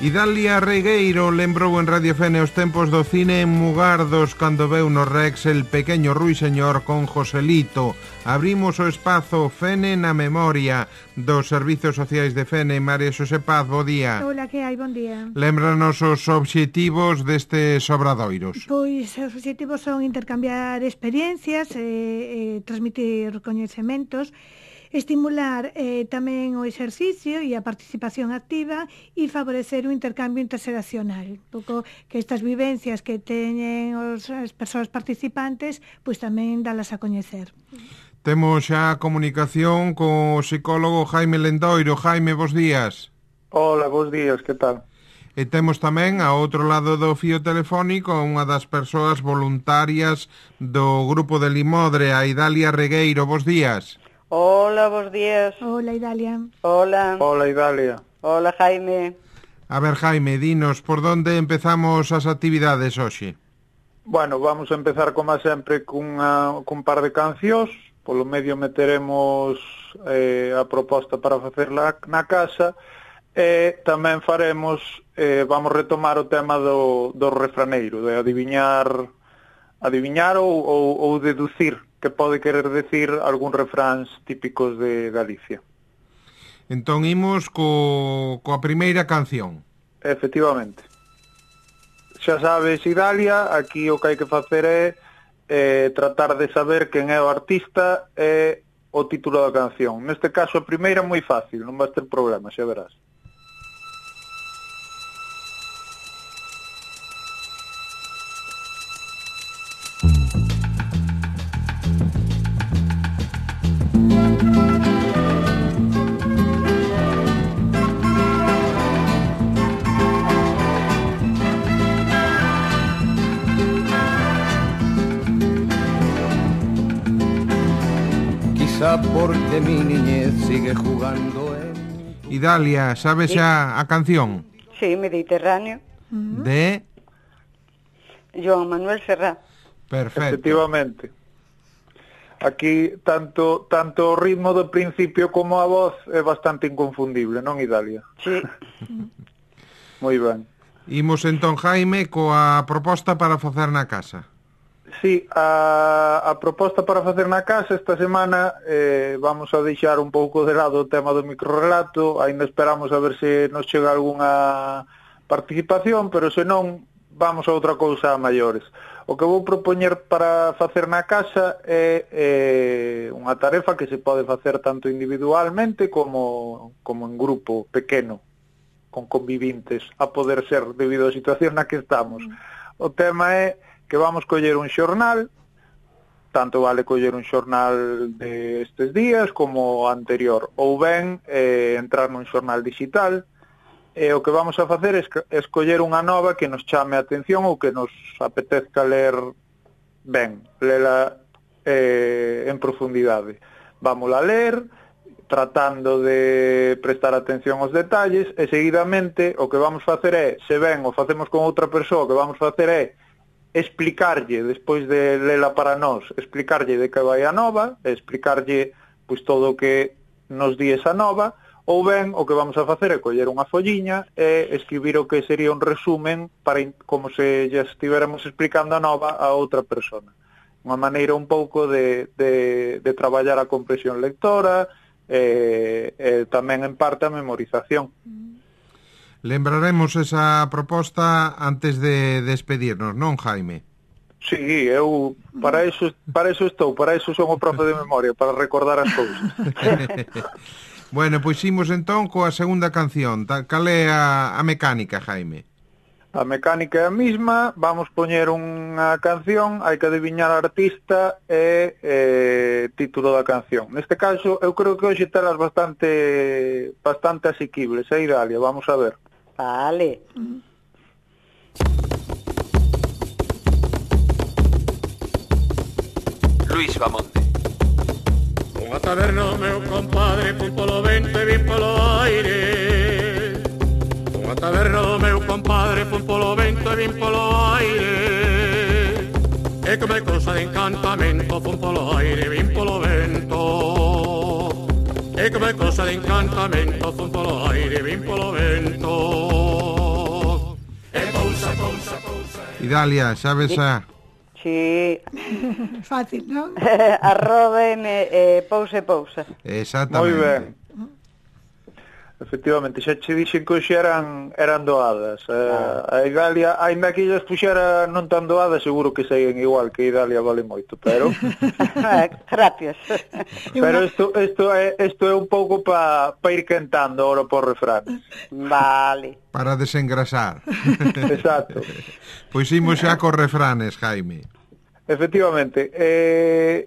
Idalia Regueiro lembrou en Radio Fene os tempos do cine en Mugardos cando veu no Rex El pequeño ruiseñor con Joselito. Abrimos o espazo Fene na memoria dos Servizos Sociais de Fene. María Xosé Paz, bo día. Hola, que hai? Bon día. Lémbranos os obxectivos destes obradoiros. Pois os obxectivos son intercambiar experiencias, transmitir coñecementos, estimular tamén o exercicio e a participación activa e favorecer o intercambio interxeracional. Un pouco que estas vivencias que teñen as persoas participantes, pois tamén dalas a coñecer. Temos xa comunicación co psicólogo Jaime Lendoiro. Jaime, bos días. Hola, bos días, que tal? E temos tamén, ao outro lado do fío telefónico, unha das persoas voluntarias do grupo de Limodre, a Idalia Regueiro. Bos días. Hola, bos días. Hola, Idalia. Hola. Hola, Idalia. Hola, Jaime. A ver, Jaime, dinos, por onde empezamos as actividades hoxe? Bueno, vamos a empezar, como sempre, cun par de cancións. Polo medio meteremos a proposta para facerla na casa. E tamén faremos, vamos retomar o tema do refraneiro, de adiviñar ou deducir que pode querer decir algún refráns típicos de Galicia. Entón imos coa primeira canción. Efectivamente. Xa sabes, Idalia, aquí o que hai que facer é tratar de saber quen é o artista e o título da canción. Neste caso a primeira é moi fácil, non vas ter problema, xa verás. Porque mi niñez sigue jugando en... Idalia, sabes xa a canción? Sí, Mediterráneo. De... Joan Manuel Serrat. Perfecto. Efectivamente. Aquí, tanto o ritmo do principio como a voz é bastante inconfundible, non, Idalia? Sí. Moi ben. Imos entón, Jaime, coa proposta para facer na casa. Sí, a proposta para facer na casa esta semana vamos a deixar un pouco de lado o tema do microrrelato, aínda esperamos a ver se nos chega algunha participación, pero se non, vamos a outra cousa a maiores. O que vou propoñer para facer na casa é unha tarefa que se pode facer tanto individualmente como en grupo pequeno, con convivintes, a poder ser debido á situación na que estamos. O tema é que vamos coller un xornal, tanto vale coller un xornal de estes días como o anterior, ou ben entrar nun xornal digital, e o que vamos a facer é escoller unha nova que nos chame a atención ou que nos apetezca ler ben, lela en profundidade. Vámola a ler, tratando de prestar atención aos detalles, e seguidamente o que vamos facer é, se ben o facemos con outra persoa, o que vamos facer é explicarlle, despois de lela para nós, explicarlle de que vai a nova, explicarlle pois todo o que nos di esa nova, ou ben o que vamos a facer é coller unha folliña e escribir o que sería un resumen para como se ya estiveramos explicando a nova a outra persona. Unha maneira un pouco de traballar a comprensión lectora e tamén en parte a memorización. Lembraremos esa proposta antes de despedirnos, non, Jaime? Sí, eu para eso estou, para eso son o profe de memoria, para recordar as cousas. Bueno, pois imos entón coa segunda canción. Cal é a mecánica, Jaime? A mecánica é a mesma, vamos poñer unha canción, hai que adiviñar a artista e título da canción. Neste caso, eu creo que hoxe telas bastante asequibles, Idalia, vamos a ver. Vale. Luis Bamonte. Unha taberna, meu compadre, fun polo vento e vin polo aire. Unha taberna, meu compadre, fun polo vento e vin polo aire. E que me cousa de encantamento, fun polo aire, vin polo vento. E que me cousa de encantamento, fun polo aire, vin polo vento. Idalia, sabes a... Sí. Fácil, non? Arroba pousa e pousa. Exactamente. Moi ben. Efectivamente, xa che dixen que hoxe eran doadas. A Idalia, aínda que ellas puxera non tan doadas, seguro que saían igual, que Idalia vale moito, pero... Gracias. Pero isto é un pouco pa ir cantando ahora por refrán. Vale. Para desengrasar. Exacto. Pois imos xa cos refranes, Jaime. Efectivamente,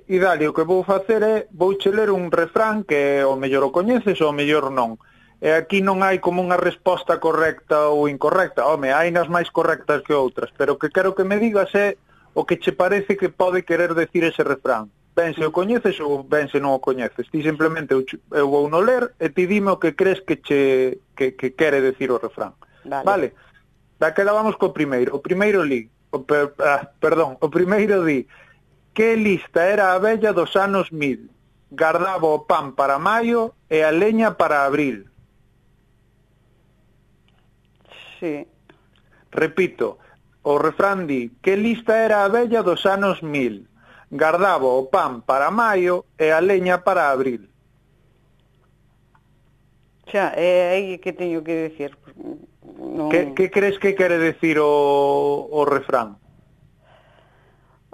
Idalia, o que vou facer é vouche ler un refrán que o mellor o coñeces ou o mellor non. E aquí non hai como unha resposta correcta ou incorrecta. Home, hai nas máis correctas que outras, pero o que quero que me digas é o que che parece que pode querer decir ese refrán. Ben se o coñeces ou ben se non o coñeces. Ti simplemente eu vou no ler e ti dime o que crees que quere decir o refrán. Vale? Daquela vamos co primeiro. O primeiro o primeiro di: que lista era a vella dos anos 1000, gardaba o pan para maio e a leña para abril. Sí. Repito, o refrán di: que lista era a vella dos anos 1000, gardaba o pan para maio e a leña para abril. Xa, é aí que teño que decir. Non... Que crees que quere decir o refrán?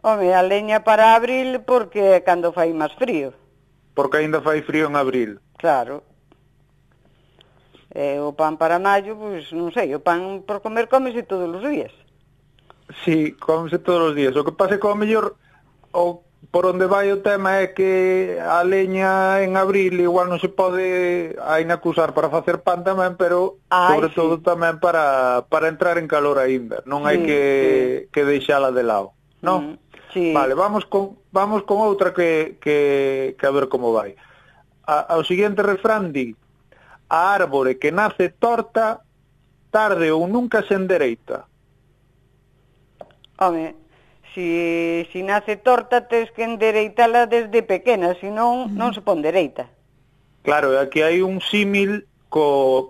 Home, a leña para abril porque é cando fai máis frío. Porque aínda fai frío en abril. Claro. E o pan para maio, pois non sei, o pan por comer cómese todos os días. Sí, cómese todos os días. O que pasa é que ao mellor por onde vai o tema é que a leña en abril igual non se pode aínda usar para facer pan tamén, pero sobre todo tamén para entrar en calor aínda. Non hai que deixala de lado, non? Sí. Vale, vamos con outra que a ver como vai. O seguinte refrán di: a árbore que nace torta, tarde ou nunca se endereita. Home, si nace torta, tens que endereitala desde pequena, senón non se pon dereita. Claro, aquí hai un símil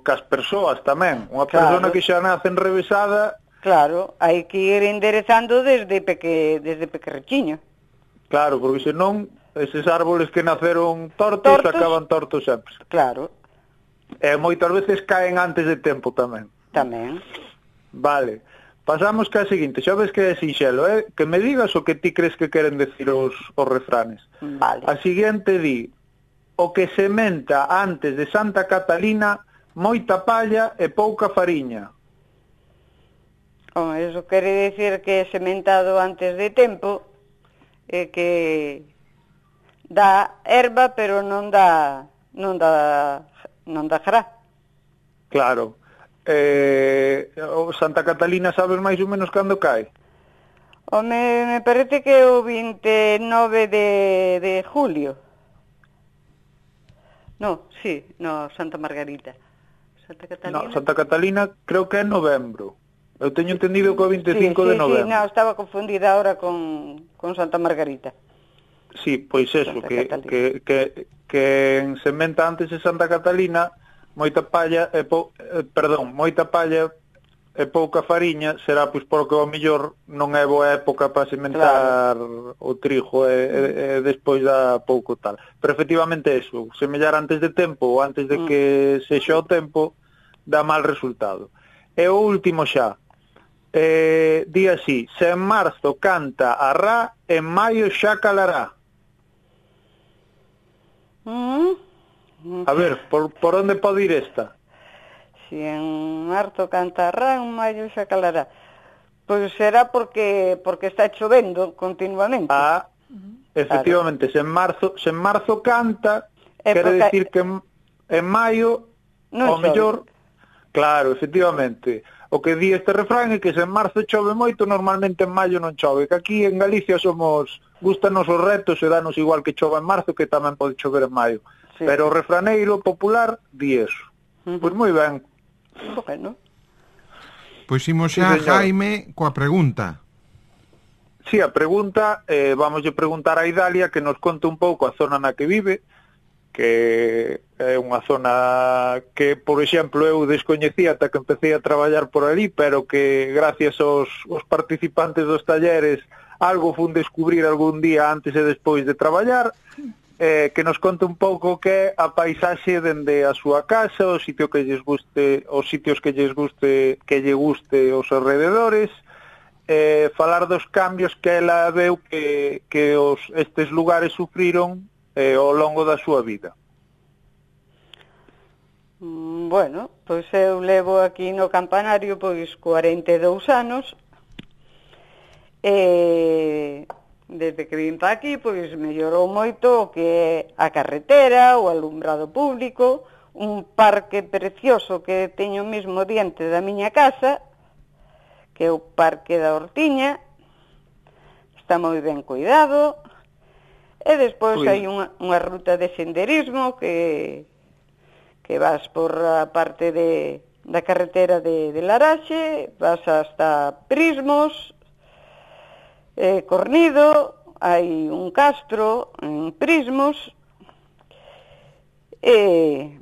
cas persoas tamén. Unha persona que xa nace enrevesada... Claro, hai que ir enderezando desde pequerrechiño. Claro, porque senón eses árboles que naceron tortos acaban tortos sempre. Claro. E moitas veces caen antes de tempo tamén. Tamén. Vale. Pasamos que a seguinte, xa ves que é sinxelo, que me digas o que ti crees que queren decir os refranes. Vale. A seguinte di: o que sementa antes de Santa Catalina, moita palla e pouca fariña. Eso quere decir que é sementado antes de tempo, e que dá erva, pero non dá jará. Claro. Santa Catalina sabes máis ou menos cando cae? Me parece que é o 29 de julio. Santa Margarita. Santa Catalina. No, Santa Catalina creo que é novembro. Eu teño entendido que é o 25 de novembro. Sí, estaba confundida ahora con Santa Margarita. Sí, pois eso, que en sementa antes de Santa Catalina, moita palla e pouca fariña, será pois porque ao mellor non é boa época para sementar o trigo e despois dá pouco tal. Pero efectivamente eso, semellar antes de tempo ou antes de que sexa o tempo, dá mal resultado. E o último xa, di así: se en marzo canta a rá, en maio xa calará. A ver, por onde pode ir esta? Si en marzo canta a rá, en maio xa calará. Pois será porque está chovendo continuamente. Efectivamente, se en marzo canta, quere decir que en maio, ao mellor, claro, efectivamente. O que di este refrán é que se en marzo chove moito, normalmente en maio non chove. Que aquí en Galicia gustanos os retos e danos igual que chova en marzo que tamén pode chover en maio. Sí. Pero o refraneiro popular di eso. Pois moi ben. Bueno. Pois imos xa, Jaime, coa pregunta. Sí, a pregunta, vamos a preguntar a Idalia que nos conte un pouco a zona na que vive, que é unha zona que, por exemplo, eu descoñecía ata que empecé a traballar por ali, pero que gracias aos participantes dos talleres algo fun descubrir algún día antes e despois de traballar, que nos conte un pouco que é a paisaxe dende a súa casa, o sitio que lles guste, os sitios que lles guste, que lle guste os alrededores, falar dos cambios que ela veu que estes lugares sufriron ao longo da súa vida. Bueno, pois eu levo aquí no campanario pois 42 anos. Desde que vim para aquí, pois mellorou moito o que é a carretera, o alumbrado público, un parque precioso que teño mesmo diante da miña casa, que é o Parque da Hortiña, está moi ben cuidado, e despois hai unha ruta de senderismo que vas por a parte da carretera de Laraxe, vas hasta Prismos, Cornido, hai un castro en Prismos, e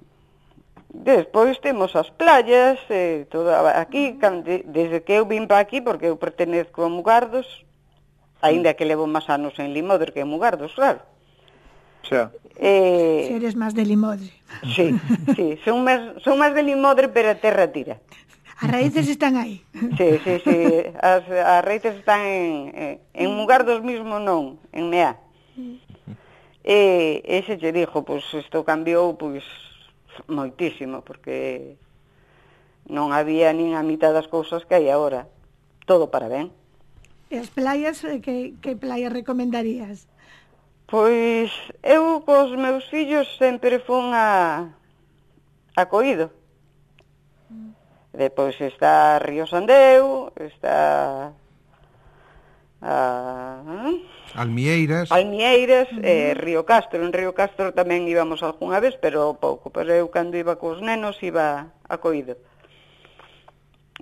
despois temos as playas, todo aquí, desde que eu vim para aquí, porque eu pertenezco a Mugardos, aínda que levo máis anos en Limoder que en Mugardos, claro. Xa. Si eres máis de Limoder. Sí, son máis de Limoder, pero a terra tira. As raíces están aí. Sí, as raíces están en Mugardos mismo non, en Meá. E se che dixo, pois isto cambiou pois moitísimo, porque non había nin a mitad das cousas que hai agora. Todo para ben. E as playas, que playas recomendarías? Pois eu cos meus fillos sempre fun a Coído. Depois está Río Sandeu, está Almieiras, Río Castro. En Río Castro tamén íbamos algunha vez, pero pouco. Pero eu cando iba cos nenos iba a Coído,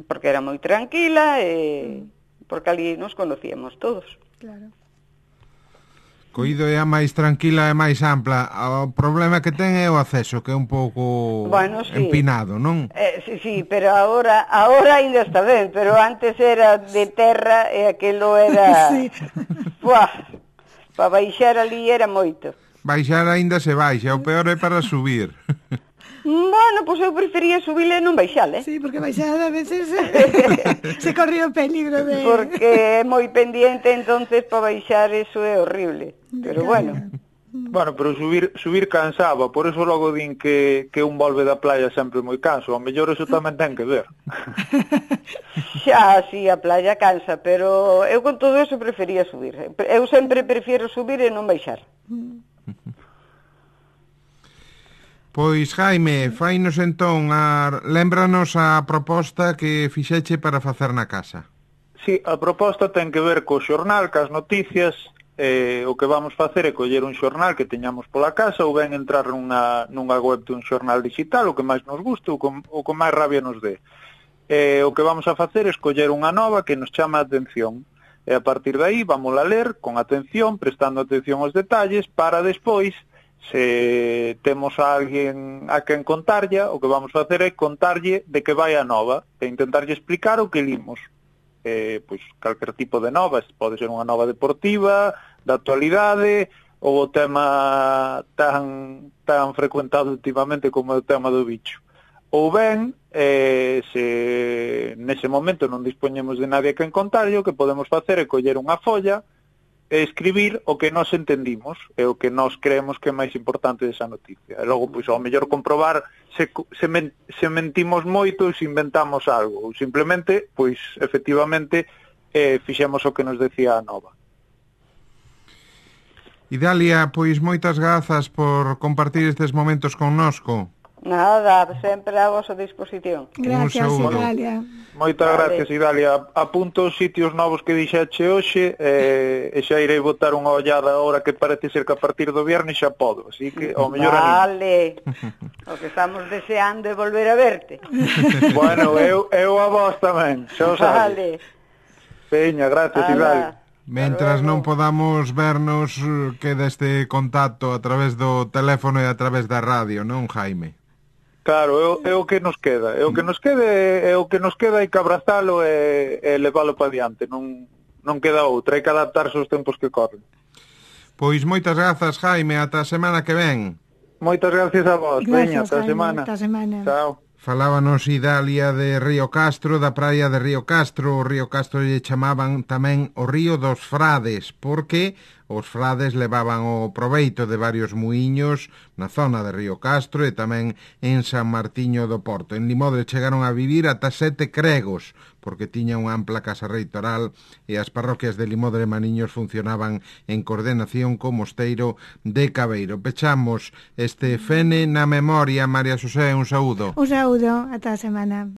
porque era moi tranquila e porque ali nos conocíamos todos. Claro. Coído é a máis tranquila e máis ampla. O problema que ten é o acceso, que é un pouco empinado, non? Sí, pero agora ainda está ben, pero antes era de terra e aquilo era... Sí. Para baixar ali era moito. Baixar aínda se baixa, o peor é para subir. Bueno, pois eu prefería subir e non baixar, Sí, porque baixar a veces se corre o peligro de... Porque é moi pendiente, entonces para baixar eso é horrible. Pero bueno. Bueno, pero subir cansaba, por eso logo din que un volve da playa sempre moi canso, ao mellor eso tamén ten que ver. Xa, sí, a playa cansa, pero eu con todo eso prefería subir. Eu sempre prefiero subir e non baixar. Pois, Jaime, fainos entón, lémbranos a proposta que fixeche para facer na casa. Sí, a proposta ten que ver co xornal, cas noticias. O que vamos facer é coller un xornal que teñamos pola casa ou ben entrar nunha web dun xornal digital, o que máis nos guste, o que máis rabia nos dé. O que vamos a facer é escoller unha nova que nos chama a atención. E a partir de aí vamos a ler con atención, prestando atención aos detalles, para despois, se temos a alguén a quen contarlle, o que vamos a facer é contarlle de que vai a nova e intentarlle explicar o que limos. Pois calquer tipo de novas, pode ser unha nova deportiva, da actualidade, ou o tema tan frecuentado últimamente como o tema do bicho. Ou ben, se nese momento non dispoñemos de nadie a quen contarlle, o que podemos facer é coller unha folla e escribir o que nós entendimos e o que nós creemos que é máis importante desa noticia. E logo, pois, ao mellor comprobar se mentimos moito ou se inventamos algo, ou simplemente, pois, efectivamente, fixemos o que nos decía a nova. Idalia, pois moitas grazas por compartir estes momentos connosco. Nada, sempre a vosa disposición. Gracias, Idalia. Moitas gracias, Idalia. Apunto os sitios novos que dixeche hoxe e xa irei botar unha ollada agora que parece ser que a partir do viernes xa podo, así que ao mellor Vale, o que estamos deseando é volver a verte. Bueno, eu a vos tamén, xa o sabes. Vale. Peña, gracias, Idalia. Mentras non podamos vernos, queda este contacto a través do teléfono e a través da radio, non, Jaime? Claro, é o que nos queda. É o que nos queda, hai que abrazalo e leválo para diante. Non queda outra, hai que adaptarse aos tempos que corren. Pois moitas grazas, Jaime, ata a semana que ven. Moitas gracias a vos. Veña, ata a semana. Ata a semana. Chao. Falábanos Idalia de Río Castro, da praia de Río Castro. O Río Castro lle chamaban tamén o Río dos Frades, porque os frades levaban o proveito de varios muiños na zona de Río Castro e tamén en San Martiño do Porto. En Limodre chegaron a vivir ata 7 cregos, porque tiña unha ampla casa reitoral e as parroquias de Limodre e Maniños funcionaban en coordenación co mosteiro de Cabeiro. Pechamos este Fene na memoria. María Xosé, un saúdo. Un saúdo, ata a semana.